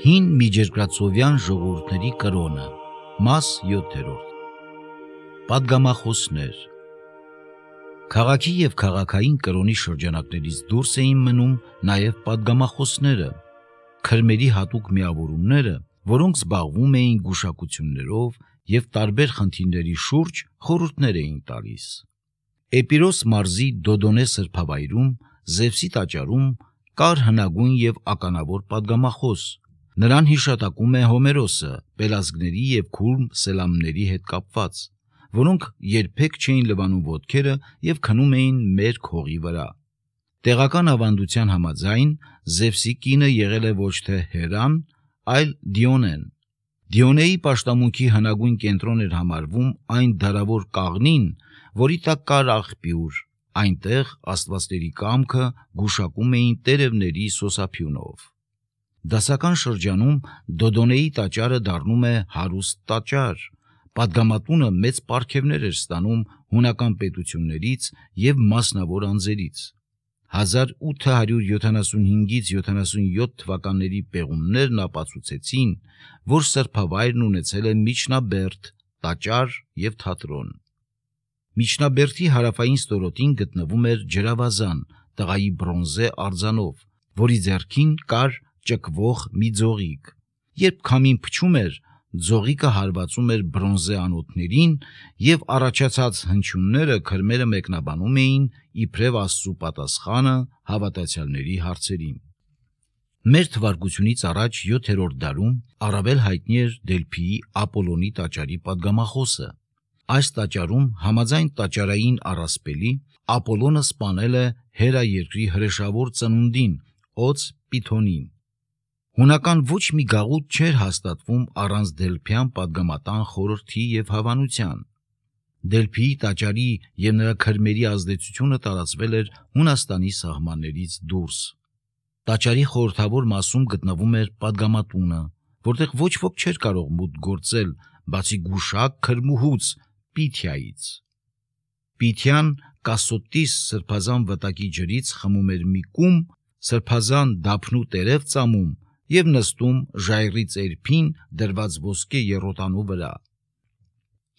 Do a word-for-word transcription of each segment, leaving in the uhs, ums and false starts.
Հին միջերկրածովյան ժողովուրդների կրոնը, մաս յոթերորդ։ Պատգամախոսներ։ Քաղաքի և քաղաքային կրոնի շրջանակներից դուրս էին մնում նաև պատգամախոսները, քրմերի հատուկ միավորումները, որոնք զբաղվում էին գուշակություններով և տարբեր խնդիրների շուրջ խորհուրդներ էին տալիս։ Էպիրոս մարզի Դոդոնե սրբավայրում, Զևսի տաճարում կար հնագույն և ականավոր պատգամախոս։ Նրան հիշատակում է Հոմերոսը պելազգների և քուրմ սելամների հետ կապված, որոնք երբեք չէին լվանում ոտքերը և քնում էին մերկ հողի վրա։ Տեղական ավանդության համաձայն Զևսի կինը եղել է ոչ թե Հերան, այլ Դիոնեն։ Դիոնեի պաշտամունքի հնագույն կենտրոն էր համարվում այն դարավոր կաղնին, որի տակ կար աղբյուր, այնտեղ աստվածների կամքը գուշակում էին տերևների սոսափյունով։ Դասական շրջանում Դոդոնեի տաճարը դառնում է հարուստ տաճար, պատգամատունը մեծ պարգևներ էր ստանում հունական պետություններից և մասնավոր անձերից։ հազար ութ հարյուր յոթանասունհինգից յոթանասունյոթ թվականների պեղումներն ապացուցեցին, որ սրբավայրն ունեցել է միջնաբերդ, տաճար և թատրոն։ Միջնաբերդի հարավային ստորոտին գտնվում էր ջրավազան տղայի բրոնզե արձանով, որի ձեռքին կար ճկվող մի ձողիկ։ Երբ քամին փչում էր, ձողիկը հարվածում էր բրոնզե անոթներին և առաջացած հնչյունները քրմերը մեկնաբանում էին իբրև Աստծու պատասխանը հավատացյալների հարցերին։ Մեր թվարկությունից առաջ յոթերորդ դարում առավել հայտնի էր Դելփիի Ապոլոնի տաճարի պատգամախոսը։ Այս տաճարում համաձայն տաճարային առասպելի Ապոլոնը սպանել է Հերա երկրի հրեշավոր ծնունդին՝ օձ Պիթոնին։ Հունական ոչ մի գաղութ չէր հաստատվում առանց դելփյան պատգամատան խորհրդի և հավանության։ Դելփիի տաճարի և նրա քրմերի ազդեցությունը տարածվել էր Հունաստանի սահմաններից դուրս։ Տաճարի խորհրդավոր մասում գտնվում էր պատգամատունը, որտեղ ոչ ոք չէր կարող մուտք գործել, բացի գուշակ քրմուհուց Պիթիայից։ Պիթիան Կասոտիս սրբազան վտակի ջրից խմում էր մի կում, սրբազան դափնու տերև ծամում և նստում ժայռի ծերփին դրված ոսկե եռոտանու վրա։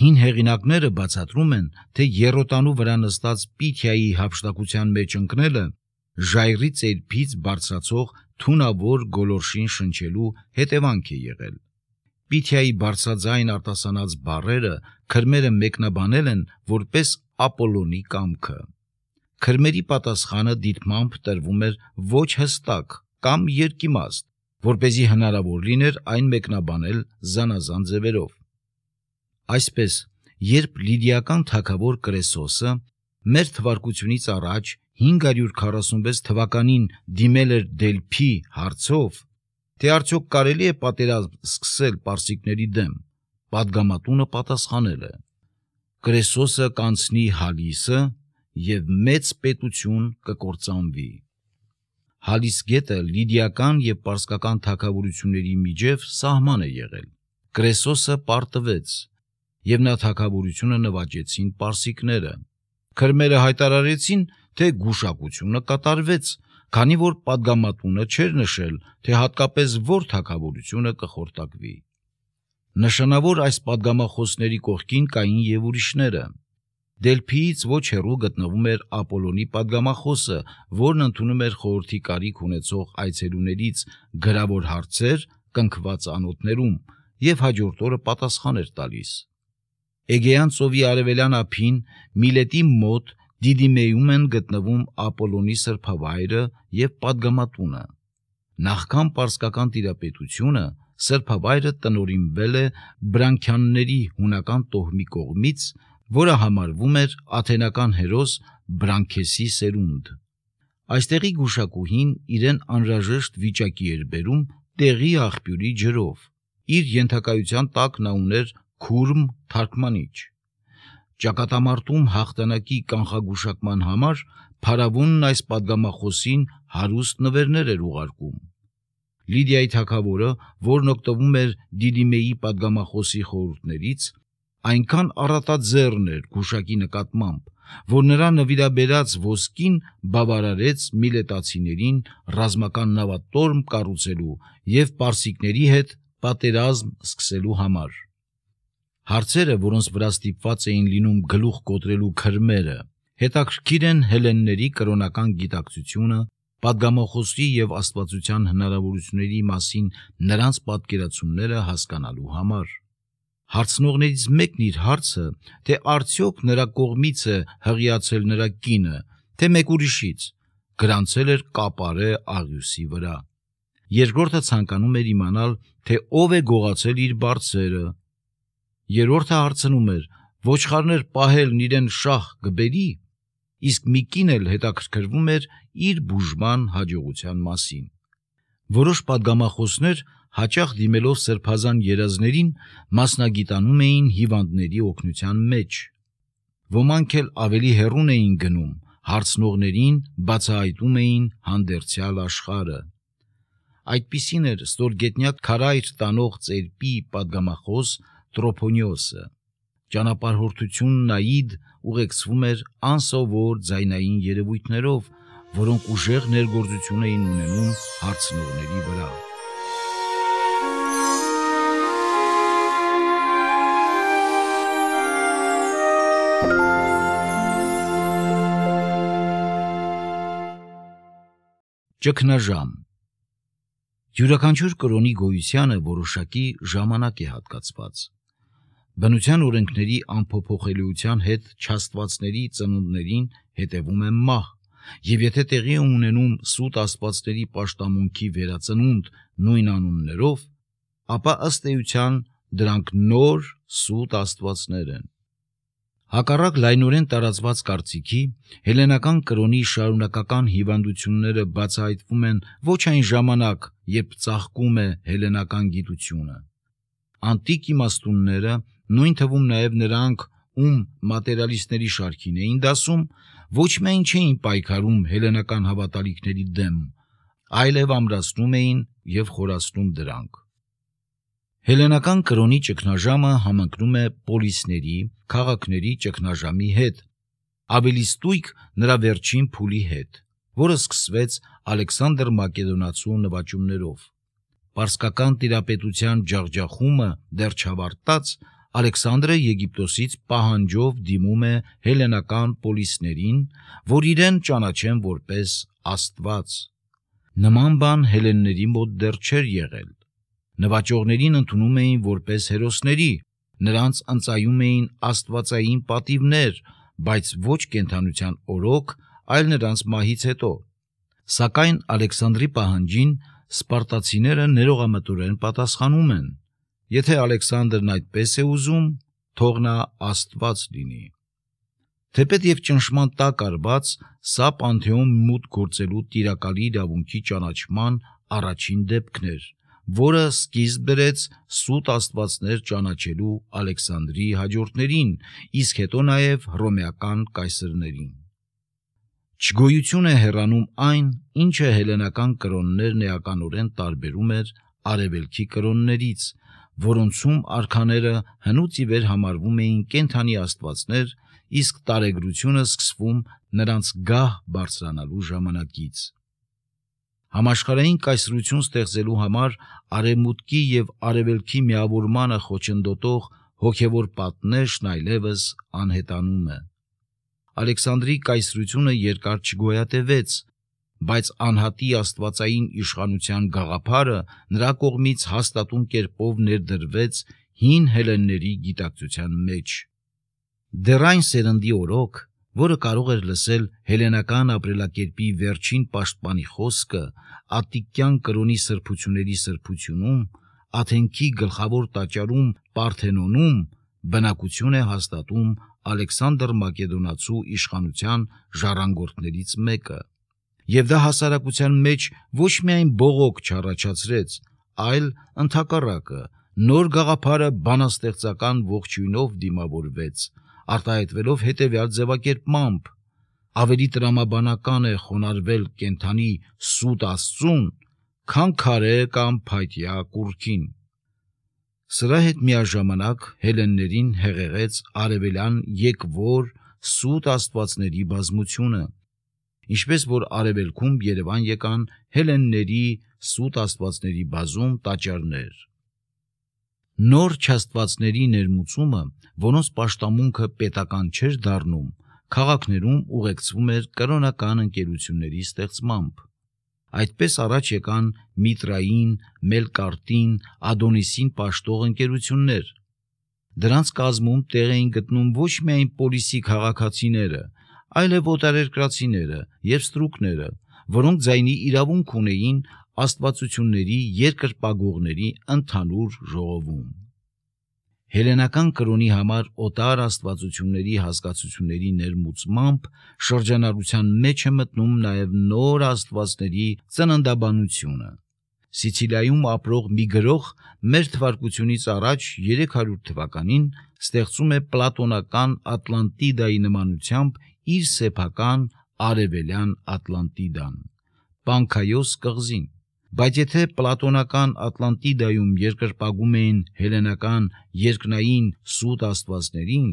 Հին հեղինակները բացատրում են, թե եռոտանու վրա նստած Պիթիայի հափշտակության մեջ ընկնելը ժայռի ծերփից բարձրացող թունավոր գոլորշին շնչելու հետևանք է եղել։ Պիթիայի բարձրաձայն արտասանած բառերը քրմերը մեկնաբանել են որպես Ապոլոնի կամքը։ Քրմերի պատասխանը դիտմամբ տրվում էր ոչ հստակ կամ երկիմաստ, որպեսզի հնարավոր լիներ այն մեկնաբանել զանազան ձևերով։ Այսպես, երբ լիդիական թագավոր Կրեսոսը մեր թվարկությունից առաջ հինգ հարյուր քառասունվեց թվականին դիմել էր Դելփի հարցով, թե արդյոք կարելի է պատերազմ սկսել պարսիկների դեմ, պատգամատունը պատասխանել է. Կրեսոսը կանցնի Հալիսը և մեծ պետություն կկործանվի։ Հալիս գետը լիդիական և պարսկական թագավորությունների միջև սահման է եղել։ Կրեսոսը պարտվեց, և նա թագավորությունը նվաճեցին պարսիկները։ Քրմերը հայտարարեցին, թե գուշակությունը կատարվեց, քանի որ պատգամատունը չէր նշել, թե հատկապես որ թագավորությունը կխորտակվի։ Նշանավոր այս պատգամախոսների կողքին կային և ուրիշները։ Դելփիից ոչ հեռու գտնվում էր Ապոլոնի պատգամախոսը, որն ընդունում էր խորհրդի կարիք ունեցող այցելուներից գրավոր հարցեր կնքված անոթներում և հաջորդ օրը պատասխան էր տալիս։ Էգեյան ծովի արևելյան ափին Միլետի մոտ Դիդիմեում են գտնվում Ապոլոնի սրբավայրը և պատգամատունը։ Նախքան պարսկական տիրապետությունը սրբավայրը տնօրինվել է Բրանկյանների հունական տոհմի կողմից, որը համարվում էր աթենական հերոս Բրանկեսի սերունդ։ Այստեղի գուշակուհին իրեն անհրաժեշտ վիճակի էր բերում տեղի աղբյուրի ջրով։ Իր ենթակայության տակ նա ուներ քուրմ թարգմանիչ։ Ճակատամարտում հաղթանակի կանխագուշակման համար փարավոնն այս պատգամախոսին հարուստ նվերներ էր ուղարկում։ Լիդիայի թագավորը, որն օգտվում էր Դիդիմեի պատգամախոսի խորհուրդներից, այնքան առատաձեռն էր գուշակի նկատմամբ, որ նրա նվիրաբերած ոսկին բավարարեց միլետացիներին ռազմական նավատորմ կառուցելու և պարսիկների հետ պատերազմ սկսելու համար։ Հարցերը, որոնց վրա ստիպված էին լինում գլուխ կոտրելու քրմերը, հետաքրքիր են հելլենների կրոնական գիտակցությունը, պատգամախոսի և աստվածության հնարավորությունների մասին նրանց պատկերացումները հասկանալու համար։ Հարցնողներից մեկն իր հարցը, թե արդյոք նրա կողմից է հղիացել նրա կինը, թե մեկ ուրիշից, գրանցել էր կապարե աղյուսի վրա։ Երկրորդը ցանկանում էր իմանալ, թե ով է գողացել իր բարձերը։ Երրորդը հարցնում էր, ոչխարներ պահելն իրեն շահ կբերի, իսկ մի կին էլ հետաքրքրվում էր իր բուժման հաջողության մասին։ Որոշ պատգամախոսներ, հաճախ դիմելով սրբազան երազներին, մասնագիտանում էին հիվանդների օգնության մեջ։ Ոմանք էլ ավելի հեռուն էին գնում, հարցնողներին բացահայտում էին հանդերձյալ աշխարհը։ Այդպիսին էր ստորգետնյա քարայր տանող ծերպի պատգամախոս Տրոփոնիոսը։ Ճանապարհորդությունն այիդ ուղեկցվում էր անսովոր ձայնային երևույթներով, որոնք ուժեղ ներգործություն էին ունենում հարցնողների վրա։ Ճգնաժամ։ Յուրաքանչյուր կրոնի գոյությանը որոշակի ժամանակ է հատկացված։ Բնության օրենքների անփոփոխելիության հետ չաստվածների ծնունդներին հետևում է մահ, և եթե տեղի է ունենում սուտ աստվածների պաշտամունքի վերածնունդ նույն անուններով, ապա ըստ էության դրանք նոր սուտ աստվածներ են։ Հակառակ լայնորեն տարածված կարծիքի, հելլենական կրոնի շարունակական հիվանդությունները բացահայտվում են ոչ այն ժամանակ, երբ ծաղկում է հելլենական գիտությունը։ Անտիկ իմաստունները, նույն թվում նաև նրանք, ում մատերիալիստների շարքին էին դասում, ոչ միայն չէին պայքարում հելլենական հավատալիքների դեմ, այլև ամրացնում էին և խորացնում դրանք։ Հելլենական կրոնի ճգնաժամը համընկնում է պոլիսների, քաղաքների ճգնաժամի հետ, ավելի ստույգ նրա վերջին փուլի հետ, որը սկսվեց Ալեքսանդր Մակեդոնացու նվաճումներով։ Պարսկական տիրապետության ջախջախումը դեռ չավարտած, Ալեքսանդրը Եգիպտոսից պահանջով դիմում է հելլենական պոլիսներին, որ իրեն ճանաչեն որպես աստված։ Նման բան հելլենների մոտ դեռ չէր եղել։ Նվաճողներին ընդունում էին որպես հերոսների, նրանց ընծայում էին աստվածային պատիվներ, բայց ոչ կենդանության օրոք, այլ նրանց մահից հետո։ Սակայն Ալեքսանդրի պահանջին սպարտացիները ներողամտորեն պատասխանում են. եթե Ալեքսանդրն այդպես է ուզում, թող նա աստված լինի։ Թեպետ և ճնշման տակ արված, սա Պանթեոն մուտք գործելու տիրակալի իրավունքի ճանաչման առաջին դեպքն էր, որը սկիզբ բերեց սուտ աստվածներ ճանաչելու Ալեքսանդրի հաջորդներին, իսկ հետո նաև հռոմեական կայսրներին։ Չգոյություն է հեռանում այն, ինչը հելլենական կրոններն էականորեն տարբերում էր արևելքի կրոններից, որոնցում արքաները հնուց ի վեր համարվում էին կենդանի աստվածներ, իսկ տարեգրությունը սկսվում նրանց գահ բարձրանալու ժամանակից։ Համաշխարհային կայսրություն ստեղծելու համար արևմուտքի և արևելքի միավորմանը խոչընդոտող հոգևոր պատնեշն այլևս անհետանում է։ Ալեքսանդրի կայսրությունը երկար չգոյատևեց, բայց անհատի աստվածային իշխանության գաղափարը նրա կողմից հաստատուն կերպով ներդրվեց հին հելլենների գիտակցության մեջ։ Դեռ այն սերնդի օրոք, որը կարող էր լսել հելլենական ապրելակերպի վերջին պաշտպանի խոսքը ատտիկյան կրոնի սրբությունների սրբությունում, Աթենքի գլխավոր տաճարում Պարթենոնում, բնակություն է հաստատում Ալեքսանդր Մակեդոնացու իշխանության ժառանգորդներից մեկը, և դա հասարակության մեջ ոչ միայն բողոք չառաջացրեց, այլ ընդհակառակը, նոր գաղափարը բանաստեղծական ողջույնով դիմավորվեց, արտահայտվելով հետևյալ ձևակերպմամբ. ավելի տրամաբանական է խոնարհվել կենդանի սուտ աստծուն, քան քարե կամ փայտյա կուռքին։ Սրա հետ միաժամանակ հելլեններին հեղեղեց արևելյան եկվոր սուտ աստվածների բազմությունը, ինչպես որ արևելքում Երևան եկան հելենների սուտ աստվածների բազում տաճարներ։ Նոր չաստվածների ներմուծումը, որոնց պաշտամունքը պետական չէր դառնում, քաղաքներում ուղեկցվում էր կրոնական ընկերությունների ստեղծմամբ։ Այդպես առաջ եկան Միտրային, Մելկարտին, Ադոնիսին պաշտող ընկերություններ։ Դրանց կազմում տեղ էին գտնում ոչ միայն պոլիսի քաղաքացիները, այլև օտարերկրացիները և ստրուկները, որոնք ձայնի իրավունք ունեին աստվածությունների երկրպագողների ընդհանուր ժողովում։ Հելենական կրոնի համար օտար աստվածությունների հասկացությունների ներմուծմամբ շրջանառության մեջ է մտնում նաև նոր աստվածների ծննդաբանությունը։ Սիցիլիայում ապրող մի գրող մեր թվարկությունից առաջ երեք հարյուր թվականին ստեղծում է պլատոնական Ատլանտիդայի նմանությամբ իր սեփական արևելյան Ատլանտիդան, Պանքայոս կղզին։ Բայց եթե պլատոնական Ատլանտիդայում երկրպագում էին հելենական երկնային սուտ աստվածներին,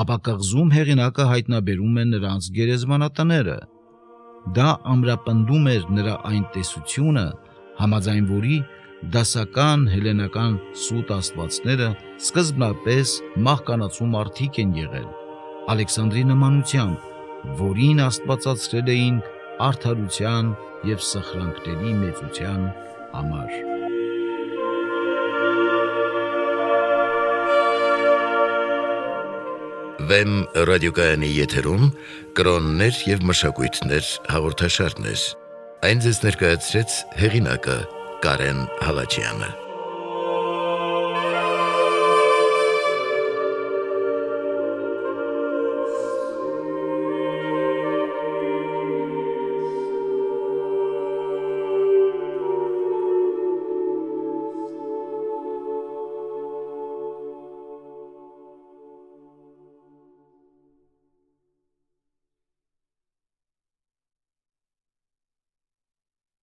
ապա կղզում հեղինակը հայտնաբերում է նրանց գերեզմանատները։ Դա ամրապնդում էր նրա այն տեսությունը, համաձայն որի դասական հելենական սուտ աստվածները սկզբնապես մահկանացու մարդիկ են եղել, Ալեքսանդրի նմանությամբ, որին աստվածացրել էին արդարության և սխրանքների մեծության համար։ Վեմ ռադիոկայանի եթերում կրոններ և մշակույթներ հաղորդաշարներ։ Այն ձեզ ներկայացրեց հեղինակը Կարեն Հալաջյանը։